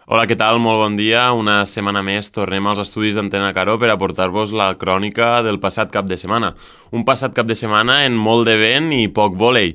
Hola, què tal? Molt bon dia. Una setmana més tornem als estudis d'Antena Caró per aportar-vos la crònica del passat cap de setmana. Un passat cap de setmana en molt de vent i poc vòlei.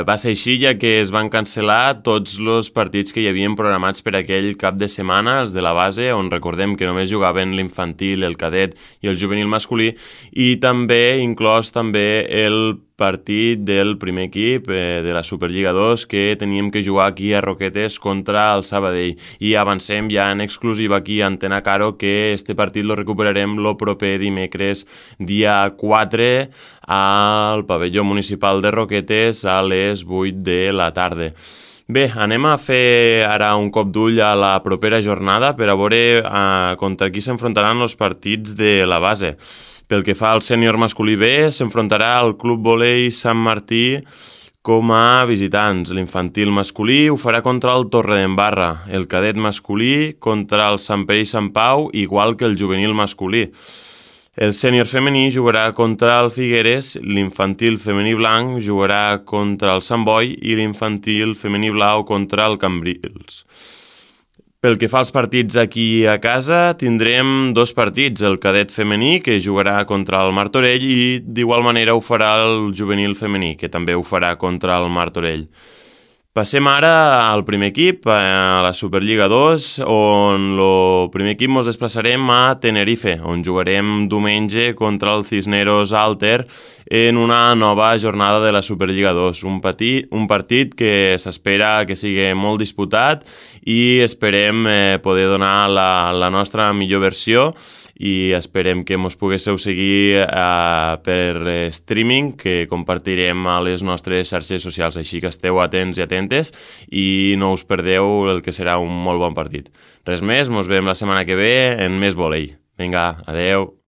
Va ser així ja que es van cancel·lar tots els partits que hi havien programats per aquell cap de setmana, els de la base, on recordem que només jugaven l'infantil, el cadet i el juvenil masculí, i també inclòs també el partit del primer equip de la Superliga 2 que teníem que jugar aquí a Roquetes contra el Sabadell. I avancem ja en exclusiva aquí a Antena Caro que este partit lo recuperarem el proper dimecres dia 4 al pavelló municipal de Roquetes a les 8 de la tarda. Bé, anem a fer ara un cop d'ull a la propera jornada per a veure contra qui s'enfrontaran els partits de la base. Pel que fa al sènior masculí B, s'enfrontarà al Club Volei Sant Martí com a visitants. L'infantil masculí ho farà contra el Torredembarra, el cadet masculí contra el Sant Pere i Sant Pau, igual que el juvenil masculí. El sènior femení jugarà contra el Figueres, l'infantil femení blanc jugarà contra el Sant Boi i l'infantil femení blau contra el Cambrils. Pel que fa als partits aquí a casa, tindrem dos partits, el cadet femení, que jugarà contra el Martorell, i d'igual manera ho farà el juvenil femení, que també ho farà contra el Martorell. Passem ara al primer equip, a la Superliga 2, on el primer equip ens desplaçarem a Tenerife, on jugarem diumenge contra el Cisneros Alter en una nova jornada de la Superliga 2. Un partit que s'espera que sigui molt disputat i esperem poder donar la nostra millor versió i esperem que ens poguéssiu seguir per streaming, que compartirem a les nostres xarxes socials, així que esteu atents i atentes i no us perdeu el que serà un molt bon partit. Res més, ens veiem la setmana que ve en més vòlei. Vinga, adeu!